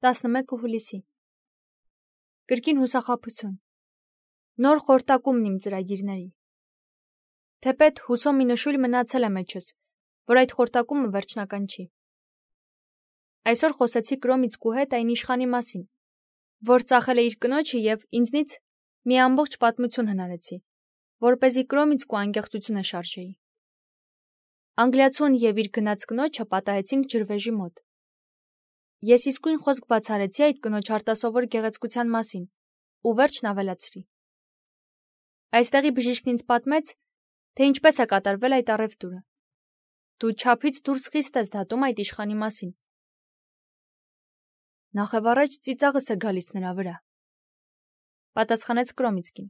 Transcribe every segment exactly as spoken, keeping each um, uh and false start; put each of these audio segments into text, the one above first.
տասնմեկը հուլիսի։ Կրկին հուսախաբություն։ Նոր խորտակումն իմ ծրագիրների։ Թեպետ հուսով մի նշույլ մնացել է մեջս, որ այդ խորտակումը վերջնական չի։ Այսօր խոսեցի Կրոմիցկու հետ այն իշխանի մասին, որ ծախել է իր կնոջը և ինձնից մի ամբողջ պատմություն հնարեցի, որպեսզի Կրոմիցկու անկեղծությունը շարժեի։ Անգլիացուն և իր գնաց կնոջը պատահեցինք ջրվեժի մոտ։ Ես իսկույն խոսք բացառեցի այդ կնոջ արտասովոր գեղեցկության մասին ու վերջն ավելացրի։ Այստեղի բժիշկն ինձ պատմեց, թե ինչպես է կատարվել այդ առևտուրը։ Դու չափից դուրս խիստ ես դատում այդ իշխանի մասին։ Նախևառաջ ծիծաղս է գալիս նրա վրա, պատասխանեց Կրոմիցկին։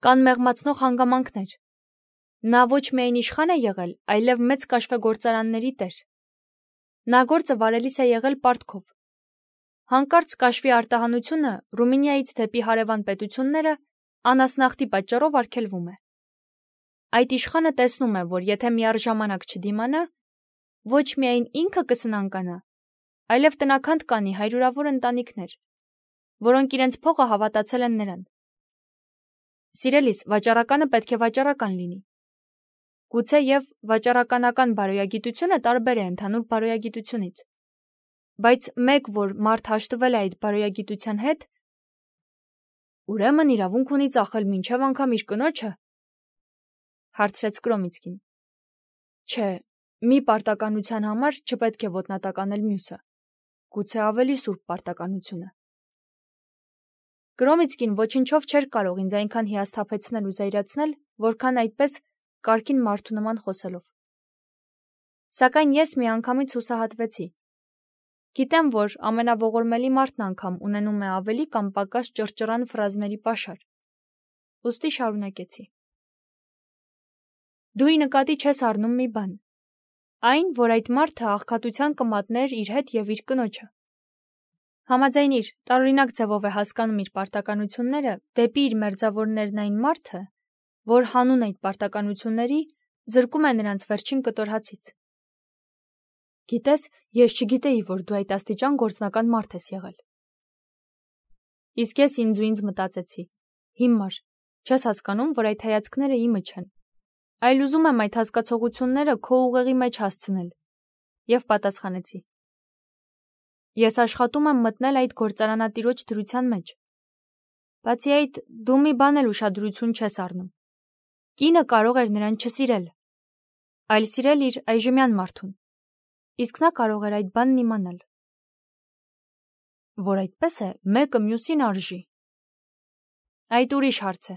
Կան մեղմացնող հանգամանքներ։ Նա ոչ միայն իշխան է եղել, այլև մեծ կաշվեգործարանների տեր։ Նա գործը վարելիս է եղել պարտքով։ Հանկարծ կաշվի արտահանությունը Ռումինիայից դեպի հարևան պետությունները անասնախտի պատճառով արգելվում է։ Այդ իշխանը տեսնում է, որ եթե միառժամանակ չդիմանա, ոչ միայն ինքը կսնանկանա, այլև տնաքանդ կանի հարյուրավոր ընտանիքներ, որոնք իրենց փողը հավատացել են նրան։ Սիրելիս, վաճառականը պետք է վաճառական լինի։ Գուցե և վաճառականական բարոյագիտությունը տարբեր է ընդհանուր բարոյագիտությունից, բայց մեկ, որ մարդ հաշտվել է այդ բարոյագիտության հետ, ուրեմն իրավունք ունի ծախել մինչև անգամ իր կնոջը, հարցրեց Կրոմիցկին։ Չէ, մի պարտականության համար չպետք է ոտնատականել մյուսը, գուցե ավելի սուրբ պարտականությունը։ Կրոմիցկին ոչնչով չէր կարող ինձ այնքան հիասթափեցնել ու զայրացնել, որքան այդպես կարգին մարդու նման խոսելով։ Սակայն ես միանգամից հուսահատվեցի։ Գիտեմ, որ ամենաողորմելի մարդն անգամ ունենում է ավելի կամ պակաս ճռճռան ֆրազների պաշար։ Ուստի շարունակեցի։ Դու ի նկատի չես առնում մի բան, այն, որ այդ մարդը աղքատության կմատներ իր հետ և իր կնոջը։ Համաձայնիր, տարօրինակ ձևով է հասկանում իր պարտականությունները դեպի իր մերձավորներն այն մարդը, որ հանուն այդ պարտականությունների զրկում է նրանց վերջին կտոր հացից։ Գիտես, ես չգիտեի, որ դու այդ աստիճան գործնական մարդ ես եղել։ Իսկ ես ինձ ու ինձ մտածեցի. հիմար, չես հասկանում, որ այդ հայացքները իմը չեն, այլ ուզում եմ այդ հասկացողությունները քո ուղեղի մեջ հասցնել, և պատասխանեցի. Ես աշխատում եմ մտնել այդ գործարանատիրոջ դրության մեջ։ Բացի այդ, դու մի բան էլ ուշադրություն չես առնում։ Կինը կարող էր նրան չսիրել, այլ սիրել իր այժմյան մարդուն, իսկ նա կարող էր այդ բանն իմանալ։ Որ այդպես է, մեկը մյուսին արժի։ Այդ ուրիշ հարց է։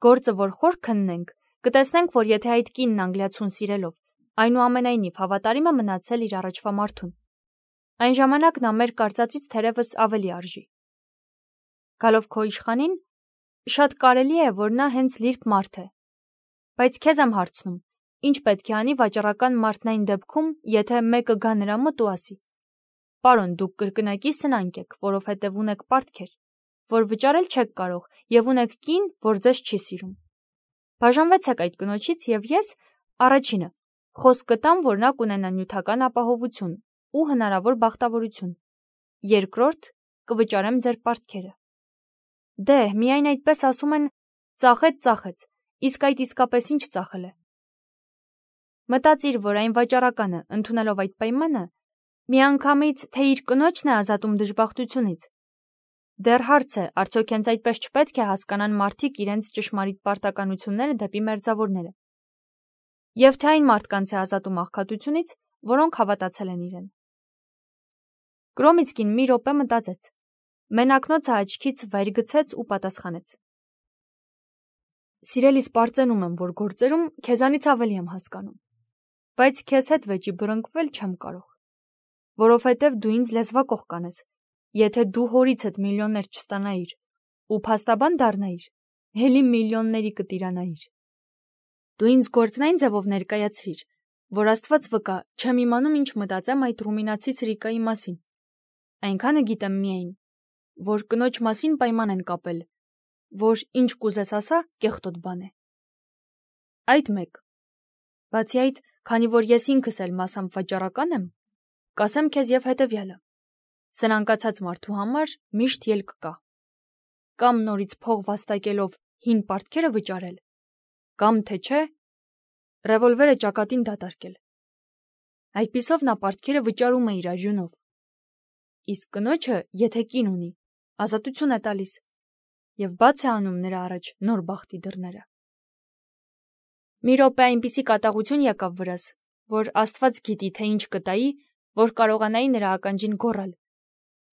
Գործը, որ խոր քննենք, կտեսնենք, որ եթե այդ կինն անգլիացուն սիրելով, այնուամենայնիվ հավատարիմ է մնացել իր առաջվա մարդուն, այն ժամանակ նա մեր կարծածից թերևս ավելի արժի։ Գալով քո իշխանին, շատ կարելի է, որ նա հենց լիրբ մարդ է։ Բայց քեզ եմ հարցնում, ինչ պետք է անի վաճառական մարդն այն դեպքում, եթե մեկը գա նրա մոտ ու ասի. Պարոն, դուք կրկնակի սնանկ եք, որովհետև ունեք պարտքեր, որ վճարել չեք կարող, և ունեք կին, որ ձեզ չի սիրում։ Բաժանվեցեք այդ կնոջից, և ես, առաջինը, խոսք կտամ, որ նա կունենա նյութական ապահովություն ու հնարավոր բախտավորություն։ Երկրորդ, կվճարեմ ձեր պարտքերը։ Դե, միայն այդպես ասում են, ծախեց, ծախեց, իսկ այդ իսկապես ինչ ծախել է։ Մտածիր, որ այն վաճառականը, ընդունելով այդ պայմանը, միանգամից թե իր կնոջն է ազատում դժբախտությունից։ Դեռ հարց է, արդյոք հենց այդպես չպետք է հասկանան մարդիկ իրենց ճշմարիտ պարտականությունները դեպի մերձավորները։ Եվ թե այն մարդկանց է ազատում աղքատությունից, որոնք հավատացել են իրեն։ Կրոմիցկին մի րոպե մտածեց, մենակնոցը աչքից վայր գցեց ու պատասխանեց. Սիրելիս, պարծենում եմ, որ գործերում քեզանից ավելի եմ հասկանում, բայց քեզ հետ վեճի բռնկվել չեմ կարող, որովհետև դու ինձ լեզվակող կանես, եթե դու հորիցդ միլիոններ չստանայիր ու փաստաբան դառնայիր, էլի միլիոնների կտիրանայիր։ Դու ինձ գործնային ձևով ներկայացրիր, որ Աստված վկա, չեմ իմանում ինչ մտածեմ այդ ռումինացի սրիկայի մասին։ Այնքանը գիտեմ միայն, որ կնոջ մասին պայման են կապել, որ ինչ կուզես ասա, կեղտոտ բան է։ Այդ մեկ։ Բացի այդ, քանի որ ես ինքս էլ մասամբ վաճառական եմ, կասեմ քեզ և հետևյալը. սնանկացած մարդու համար միշտ ելք կա։ Կամ նորից փող վաստակելով հին պարտքերը վճարել, կամ թե չէ, ռևոլվերը ճակատին դատարկել։ Այդպիսով նա պարտքերը վճարում է իր արյունով։ Իսկ կնոջը, եթե կին ունի, ազատություն է տալիս եւ բաց է անում նրա առաջ նոր բախտի դռները։ Մի րոպե այնպիսի կատաղություն եկավ վրաս, որ Աստված գիտի, թե ինչ կտայի, որ կարողանայի նրա ականջին գոռալ.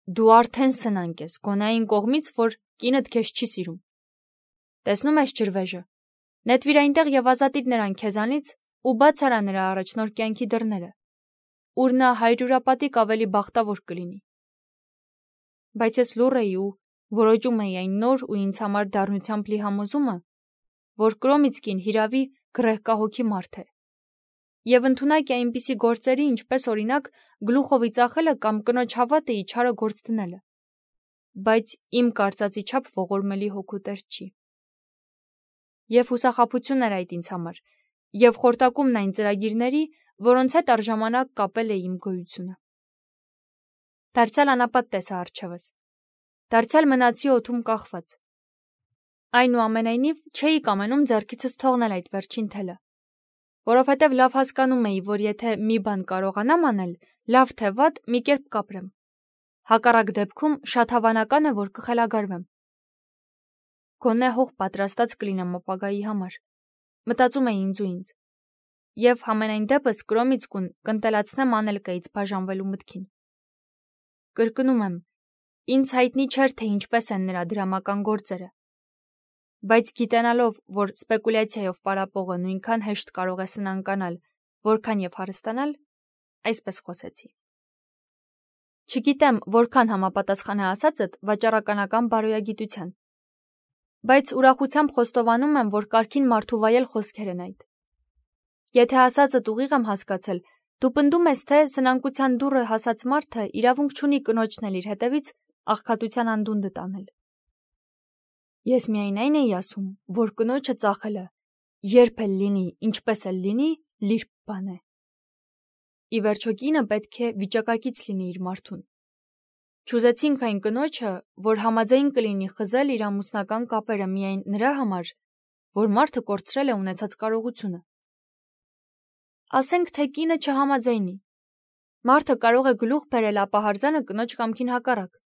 «Դու արդեն սնանկ ես, գոնե այն կողմից, որ կինդ քեզ չի սիրում։ Տեսնում ես ջրվեժը, նետվիր այնտեղ եւ ազատիր նրան քեզանից ու բաց արա նրա առաջ նոր կյանքի դռները, ուր նա հարյուրապատիկ ավելի բախտավոր կլինի»։ Բայց ես լուռ էի ու որոճում էի այն նոր ու ինձ համար դառնությամբ լի համոզումը, որ Կրոմիցկին հիրավի գրեհկահոգի մարդ է եւ ընդունակ է այնպիսի գործերի, ինչպես օրինակ գլուխովի ծախելը կամ կնոջ հավատը իչարը գործ դնելը, բայց իմ կարծածի չափ ողորմելի հոգու տեր չի։ Եվ հուսախաբություն էր այդ ինձ համար, եւ խորտակումն այն ծրագիրների, որոնց հետ առժամանակ կապել է իմ գոյությունը։ Դարձյալ անապատ տեսա առջևս, դարձյալ մնացի օդում կախված։ Այնուամենայնիվ չէի կամենում ձեռքիցս թողնել այդ վերջին թելը, որովհետև լավ հասկանում էի, որ եթե մի բան կարողանամ անել, լավ թե վատ, մի կերպ կապրեմ։ Հակառակ դեպքում շատ հավանական է, որ կխելագարվեմ։ Գոնե հող պատրաստած կլինեմ ապագայի համար, մտածում էի ինձ ու ինձ, եւ համենայն դեպս Կրոմիցկուն կընտելացնեմ Անելկայից բաժանվելու մտքին։ Կրկնում եմ, ինձ հայտնի չէր, թե ինչպես են նրա դրամական գործերը, բայց գիտենալով, որ սպեկուլյացիայով պարապողը նույնքան հեշտ կարող է սնանկանալ, որքան եւ հարստանալ, այսպես խոսեցի։ Չգիտեմ, որքան համապատասխան է ասածդ վաճառականական բարոյագիտության, բայց ուրախությամբ խոստովանում եմ, որ կարքին մարդու վայել խոսքեր են այդ։ Եթե ասածդ ուղիղ եմ հասկացել, դու պնդում ես, թե սնանկության դուռը հասած մարդը իրավունք չունի կնոջն էլ իր հետևից աղքատության անդունդը տանել։ Ես միայն այն էի ասում, որ կնոջը ծախելը, երբ էլ լինի, ինչպես էլ լինի, լիրբ բան է։ Ի վերջո կինը պետք է վիճակակից լինի իր մարդուն։ Չուզեցինք այն կնոջը, որ համաձայն կլինի խզել իր ամուսնական կապերը միայն նրա համար, որ մարդը կորցրել է ունեցած կարողությունը։ Ասենք, թե կինը չհամաձայնի։ Մարդը կարող է գլուխ բերել ապահարզանը կնոջ կամքին հակառակ։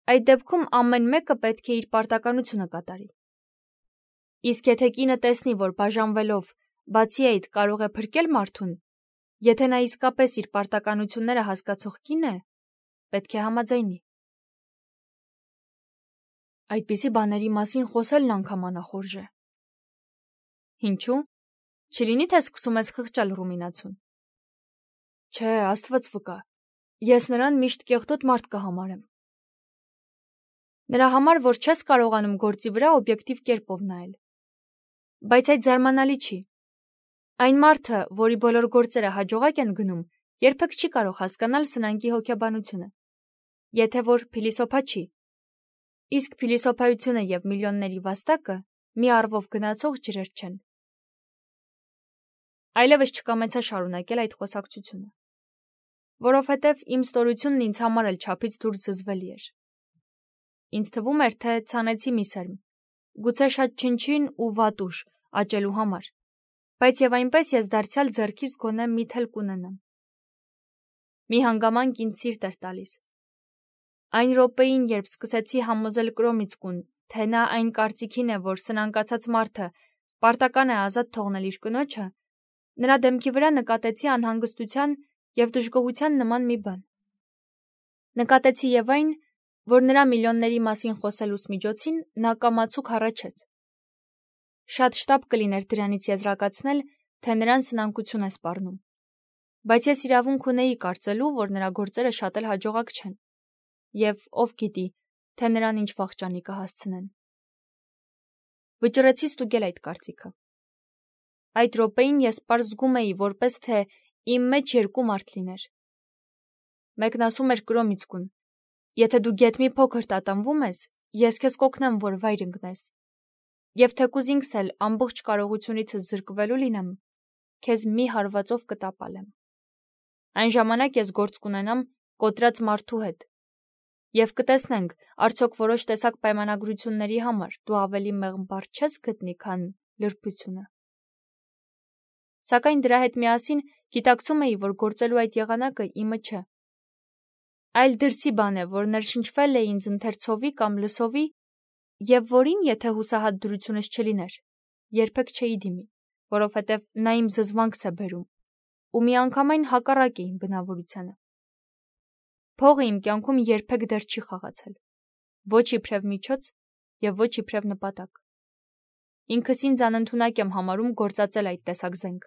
Այդ դեպքում ամեն մեկը պետք է իր պարտականությունը կատարի։ Իսկ եթե կինը տեսնի, որ բաժանվելով, բացի այդ կարող է փրկել մարդուն, եթե նա իսկապես իր պարտականությունները հասկացող կին է, պետք է համաձայնի։ Այդպիսի բաների մասին խոսելն անգամ անախորժ է։ Ինչու՞։ Չլինի թե սկսում ես խղճալ Ռումինացուն։ Չէ, Աստված վկա, ես նրան միշտ կեղտոտ մարդ կհամարեմ։ Նրա համար, որ չես կարողանում գործի վրա օբյեկտիվ կերպով նայել։ Բայց այդ զարմանալի չի։ Այն մարդը, որի բոլոր գործերը հաջողակ են գնում, երբեք չի կարող հասկանալ սնանկի հոգեբանությունը, եթե որ փիլիսոփա չի։ Իսկ փիլիսոփայությունը եւ միլիոնների վաստակը մի առվով գնացող ջրեր չեն։ Այլևս չկամեցա շարունակել այդ խոսակցությունը, որովհետև իմ ստորությունն ինձ համար էլ չափից դուրս զզվելի էր։ Ինձ թվում էր, թե ցանեցի մի սերմ, գուցե շատ չնչին ու վատուշ աճելու համար, բայց եւ այնպես ես դարձյալ ձեռքիս գոնե մի թել կունենամ։ Մի հանգամանք ինձ սիրտ էր տալիս։ Այն րոպեին, երբ սկսեցի համոզել Կրոմիցկուն, թե նա այն կարծիքին է, որ սնանկացած մարդը պարտական է ազատ թողնել իր կնոջը, նրա դեմքի վրա նկատեցի անհանգստության եւ դժգոհության նման մի բան։ Նկատեցի եւ այն, որ նրա միլիոնների մասին խոսելուս միջոցին նա կամացուկ հառաչեց։ Շատ շտապ կլիներ դրանից եզրակացնել, թե նրան սնանկություն է սպառնում, բայց ես իրավունք ունեի կարծելու, որ նրա գործերը շատ էլ հաջողակ չեն, եւ ով գիտի, թե նրան ինչ վախճանի կհասցնեն։ Վճռեցի ստուգել այդ կարծիքը։ Այդ րոպեին ես պարզ զգում էի, որպես թե իմ մեջ երկու մարդ լիներ։ Մեկն ասում էր Կրոմիցկուն. եթե դու գեթ մի փոքր տատանվում ես, ես քեզ կօգնեմ, որ վայր ընկնես։ Եվ թեկուզ ինքս էլ ամբողջ կարողությունիցս զրկվելու լինեմ, քեզ մի հարվածով կտապալեմ։ Այն ժամանակ ես գործ կունենամ կոտրած մարդու հետ։ Եվ կտեսնենք, արդյոք որոշ տեսակ պայմանագրությունների համար դու ավելի մեղմ բառ չես գտնի, քան լրբությունը։ Սակայն դրա հետ միասին գիտակցում էի, որ գործելու այդ եղանակը իմը չէ։ Այլ դրսի բան է, որ ներշնչվել է ինձ ընթերցովի կամ լսովի, եւ որին, եթե հուսահատ դրությունս չլիներ, երբեք չէի դիմի, որովհետև նա իմ զզվանքս է բերում, ու միանգամայն հակառակ է իմ բնավորությանը։ Փողը իմ կյանքում երբեք դեռ չի խաղացել, ոչ իբրև միջոց եւ ոչ իբրև նպատակ։ Ինքս ինձ անընդունակ եմ համարում գործածել այդ տեսակ զենք։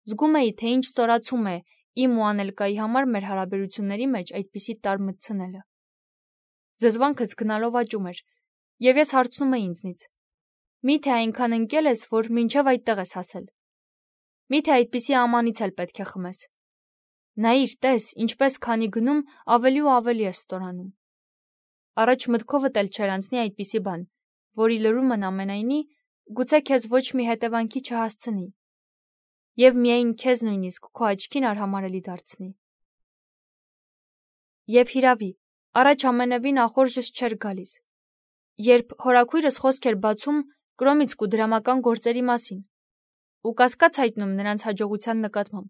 Զգում էի, թե ինչ ստորացում է իմ ու Անելկայի համար մեր հարաբերությունների մեջ այդպիսի տար մտցնելը։ Զզվանքս գնալով աճում էր, եւ ես հարցնում էի ինձնից. միթե այնքան ընկել ես, որ մինչև այդտեղ ես հասել։ Միթե այդպիսի ամանից էլ պետք է խմես։ Նայիր, տես, ինչպես քանի գնում ավելի ու ավելի է ստորանում։ Առաջ մտքովդ էլ չեր անցնի այդպիսի բան, որի լրումն ամենայնի գուցե քեզ ոչ մի հետևանքի չհասցնի, եւ միայն քեզ նույնիսկ քո աչքին արհամարելի դարձնի։ Եվ հիրավի, առաջ ամենևին ախորժս չէր գալիս, երբ հորաքույրս խոսք էր բացում կրոմիցք ու դրամական գործերի մասին, ու կասկած հայտնում նրանց հաջողության նկատմամբ։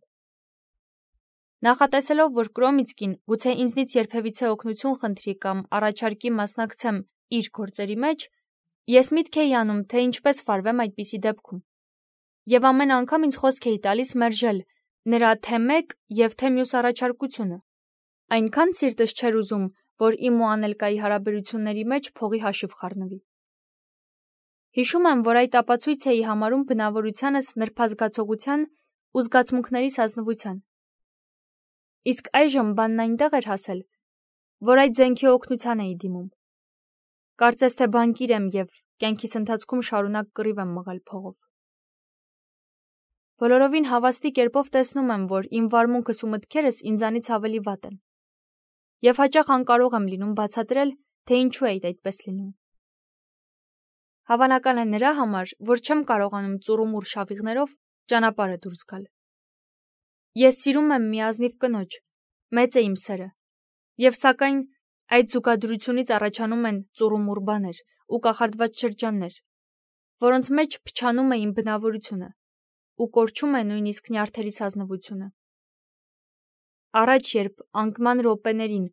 Նախատեսելով, որ Կրոմիցկին գուցե ինձնից երբևիցե օգնություն խնդրի կամ առաջարկի մասնակցեմ իր գործերի մեջ, ես միտք էի անում, թե ինչպես վարվեմ այդպիսի դեպքում, եւ ամեն անգամ ինձ խոսք էի տալիս մերժել նրա թե մեկ եւ թե մյուս առաջարկությունը։ Այնքան սիրտս չէր ուզում, որ իմ ու Անելկայի հարաբերությունների մեջ փողի հաշիվ խառնվի։ Հիշում եմ, որ այդ ապացույց էի համարում բնավորությանս նրբազգացողության ու զգացմունքներիս ազնվության։ Իսկ այժմ բանն այնտեղ էր հասել, որ այդ զենքի օգնության էի դիմում։ Կարծես թե բանկիր եմ եւ կյանքիս ընթացքում շարունակ կռիվ եմ մղել փողով։ Բոլորովին հավաստի կերպով տեսնում եմ, որ իմ վարմունքս ու մտքերս ինձանից ավելի վատ են։ Եվ հաճախ անկարող եմ լինում բացատրել, թե ինչու է այդպես լինում։ Հավանական է նրա համար, որ չեմ կարողանում ծուռումուռ շավիղներով ճանապարհը դուրս գալ։ Ես սիրում եմ մի ազնիվ կնոջ, մեծ է իմ սերը, եւ սակայն այդ զուգադրությունից առաջանում են ծուռումուռ բաներ ու կախարդված շրջաններ, որոնց մեջ փչանում է իմ բնավորությունը ու կորչում է նույնիսկ նյարդերիս ազնվությունը։ Առաջ, երբ անկման րոպեներին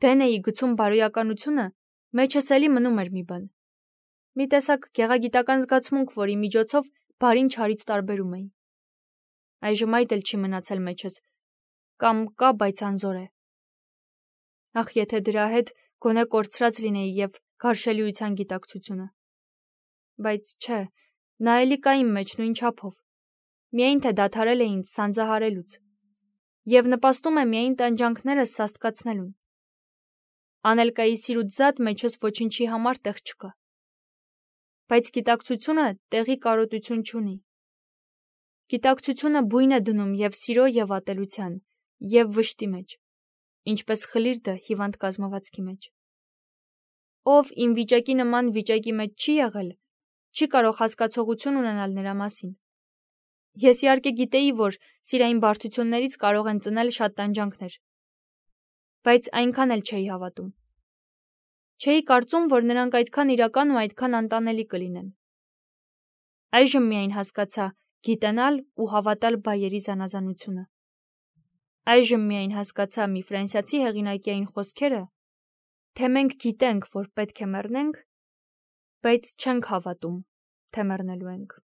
դեն էի գցում բարոյականությունը, մեջս էլի մնում էր մի բան, մի տեսակ գեղագիտական զգացմունք, որի միջոցով բարին չարից տարբերում էի։ Այժմ այդ էլ չի մնացել մեջս, կամ կա, բայց անզոր է։ Ախ, եթե դրա հետ գոնե կորցրած լինեի եւ գարշելիության գիտակցությունը։ Բայց չէ, նա էլի կա իմ մեջ նույն չափով, միայն թե դադարել է ինձ սանձահարելուց, եւ նպաստում է միայն տանջանքներս սաստկացնելուն։ Անելկայի սիրուց զատ մեջս ոչինչի համար տեղ չկա։ Բայց գիտակցությունը տեղի կարոտություն չունի։ Գիտակցությունը բույն է դնում եւ սիրո եւ ատելության, եւ վշտի մեջ, ինչպես խլիրտը հիվանդ կազմվածքի մեջ։ Ով իմ վիճակի նման վիճակի մեջ չի եղել, չի կարող հասկացողություն ունենալ նրա մասին։ Ես իհարկե գիտեի, որ սիրային բարդություններից կարող են ծնել շատ տանջանքներ, բայց այնքան էլ չէի հավատում։ Չէի կարծում, որ նրանք այդքան իրական ու այդքան անտանելի կլինեն։ Այժմ միայն հասկացա գիտենալ ու հավատալ բայերի զանազանությունը։ Այժմ միայն հասկացա մի ֆրանսիացի հեղինակի այն խոսքերը, թե մենք գիտենք, որ պետք է մեռնենք, բայց չենք հավատում, թե մեռնելու ենք։